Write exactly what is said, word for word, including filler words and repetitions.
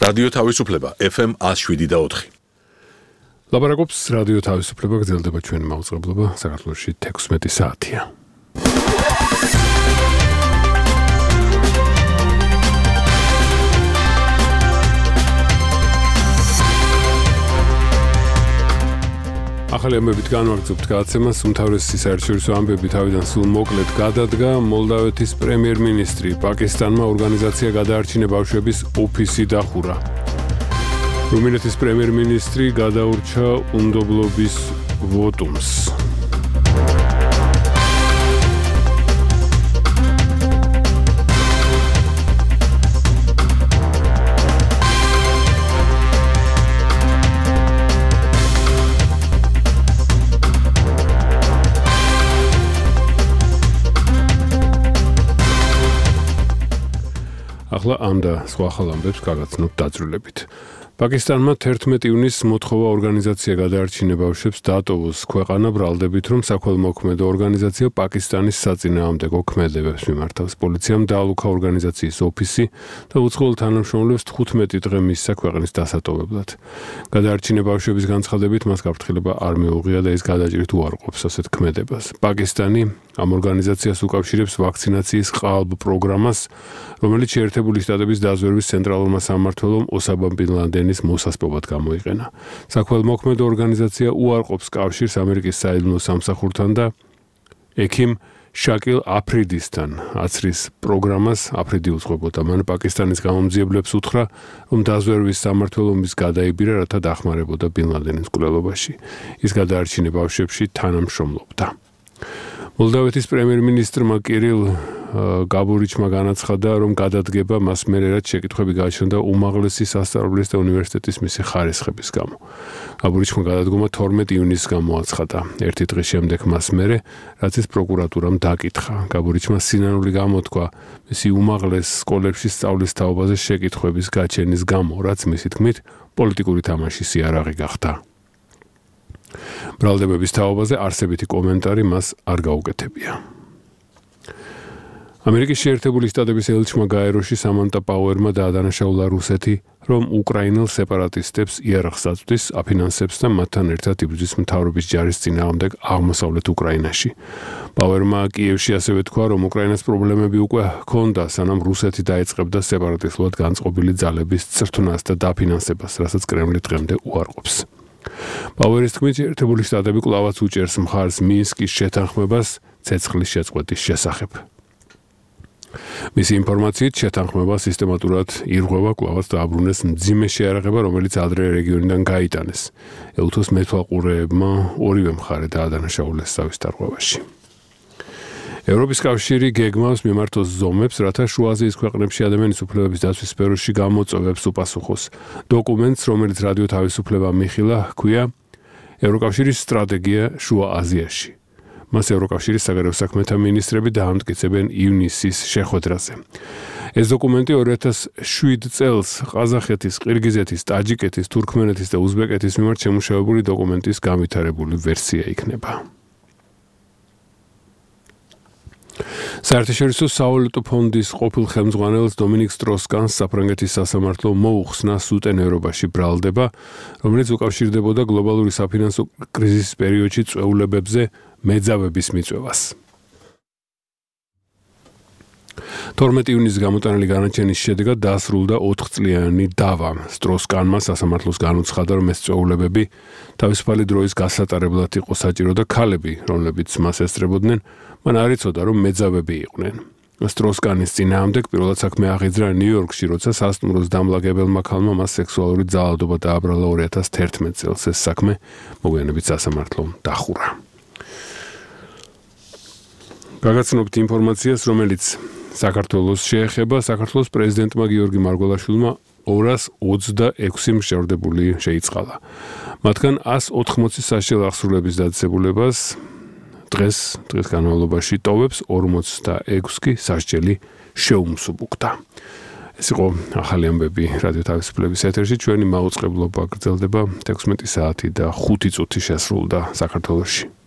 რადიო თავისუფლება F M one oh seven და four. ლაპარაკობს რადიო თავისუფლება, გრძელდება ჩვენი მაუწყებლობა, საქართველოში თექვსმეტი საათია. ახალი ამბებით განვაგრძობთ გადაცემას, უმთავრესი საერთაშორისო ამბები თავიდან სულ მოკლედ გადადგა. მოლდავეთის პრემიერ-მინისტრი პაკისტანმა ორგანიზაცია გადაარჩინა ბავშვების ოფისი დახურა. რუმინეთის პრემიერ-მინისტრი გადაურჩა უნდობლობის ვოტუმს. ახლა ამ და სხვა ახალ ამბებს გაგაცნობთ დაძრულებით. პაკისტანმა თერთმეტი ივნისს მოთხოვა ორგანიზაცია გადაარჩინა ბავშვებს დაატოვოს ქვეყანა ბრალდებით, რომ საქველმოქმედო ორგანიზაცია პაკისტანის საწინააღმდეგო ქმედებებს მიმართავს. პოლიციამ დაალუქა ორგანიზაციის ოფისი და უცხოელ თანამშრომლებს თხუთმეტი დღე მისცა ქვეყნის დასატოვებლად. გადაარჩინა ბავშვების განცხადებით მას გაფრთხილება არ მიუღია და ის გადაჭრით უარყოფს ასეთ ქმედებას. პაკისტანი ამ ორგანიზაციას უკავშირებს ვაქცინაციის ყალბ პროგრამას, რომელიც შეერთებული შტატების დაზვერვის ცენტრალურმა სამმართველომ ოსამა ბინ ლადენის მოსასპობად გამოიყენა. საქველმოქმედო ორგანიზაცია უარყოფს კავშირს ამერიკის საიდუმლო სამსახურთან და ექიმ შაკილ აფრიდისთან აცრის პროგრამას. აფრიდი უძღვებოდა მან პაკისტანის გამომძიებლებს უთხრა, რომ დაზვერვის სამმართველობის გადაიბირა, რათა დახმარებოდა ბინ ლადენის მკვლელობაში. ის გადაარჩინა ბავშვებში თანამშრომლობდა. მოლდავეთის პრემიერ-მინისტრმა კირილ გაბურიჩმა განაცხადა, რომ გადადგება მას მერე რაც შეკითხვები გააჩნდა უმაღლესი სასწავლებლის და უნივერსიტეტის მისი ხარისხების გამო. გაბურიჩმა გადადგომა თორმეტი ივნისს გამოაცხადა. ერთი დღის შემდეგ მას მერე, რაც ის პროკურატურამ დაკითხა. გაბურიჩმა სინანული გამოთქვა მისი უმაღლეს სკოლებში სწავლის თაობაზე შეკითხვების გაჩენის გამო, რაც მისი თქმით პოლიტიკური თამაშის იარაღი გახდა. ბრალდებების თაობაზე არსებითი კომენტარი მას არ გაუკეთებია. ამერიკის შეერთებული შტატების ელჩმა გაეროში სამანტა პაუერმა დაადანაშაულა რუსეთი, რომ უკრაინელ სეპარატისტებს იარაღს აწვდის, აფინანსებს და მათთან ერთად იბრძვის მთავრობის ჯარის წინააღმდეგ აღმოსავლეთ უკრაინაში. პაუერმა კიევში ასევე თქვა, რომ უკრაინას პრობლემები უკვე ჰქონდა, სანამ რუსეთი დაეწყებდა სეპარატისტულად განწყობილი ძალების წრთნას და დაფინანსებას, რასაც კრემლი დღემდე უარყოფს. პაუერის თქმით, შეერთებული შტატები კვლავაც უჭერს მხარს მინსკის შეთანხმებას ცეცხლის შეწყვეტის შესახებ. მისი ინფორმაციით შეთანხმება სისტემატურად ირღვევა, კვლავაც დააბრუნეს მძიმე შეარაღება, რომელიც ადრე რეგიონიდან გაიტანეს. ელთოს მეთვალყურეებმა ორივე მხარე დაადანაშაულეს სავის დარღვევაში. ევროპის კავშირი გეგმავს მიმართოს ზომებს, რათა შუა აზიის ქვეყნებში ადამიანის უფლებების დაცვის სფეროში გამოწვევებს უპასუხოს. დოკუმენტს, რომელიც რადიო თავისუფლება მიხილა, ჰქვია ევროკავშირის სტრატეგია შუა აზიაში. მას ევროკავშირის საგარეო საქმეთა მინისტრები დაამტკიცებენ ივნისის შეხვედრაზე. ეს დოკუმენტი ორი ათას შვიდ წელს ყაზახეთის, ყირგიზეთის, ტაჯიკეთის, თურქმენეთის და უზბეკეთის მიმართ შემუშავებული დოკუმენტის განვითარებული ვერსია იქნება. საერთაშორისო სავალუტო ფონდის ყოფილ ხელმძღვანელს დომინიკ სტროს-კანს საფრანგეთის სასამართლო მოუხსნა სუტენერობაში ბრალდება, რომელიც უკავშირდებოდა გლობალური საფინანსო კრიზისის პერიოდში წვეულებებზე მეძავების მიწვევას. თორმეტი ივნისს გამოტანილი განაჩენის შედეგად დაასრულდა ოთხწლიანი დავა. სტროს-კანმა სასამართლოს განუცხადა, რომ ეს წვეულებები თავისუფალი დროის გასატარებლად იყო საჭირო და ქალები, რომლებიც მას ესწრებოდნენ, მან არ იცოდა, რომ მეძავები იყვნენ. სტროს-კანის წინააღმდეგ პირველად საქმე აღიძრა ნიუ-იორკში, როცა სასტუმროს დამლაგებელმა ქალმა მას სექსუალური ძალადობა დააბრალა ორი ათას თერთმეტ წელს. ეს საქმე მოგვიანებით სასამართლომ დახურა. გაგაცნობთ ინფორმაციას, რომელიც საქართველოს შეეხება. საქართველოს პრეზიდენტმა გიორგი მარგველაშვილმა ორას ოცდაექვსი მშევრდებული შეიწყალა. მათგან ას ოთხმოცი საშიელ აღსრულების დაწესებულებას დღეს დღეს განმავლობაში ტოვებს, ორმოცდაექვსი კი სასჯელი შეუმსუბუქდა. ეს იყო ახალი ამბები რადიო თავისუფლების ეთერში. ჩვენი მაუწყებლობა გრძელდება თექვსმეტი საათი და ხუთი წუთი შესრულდა საქართველოში.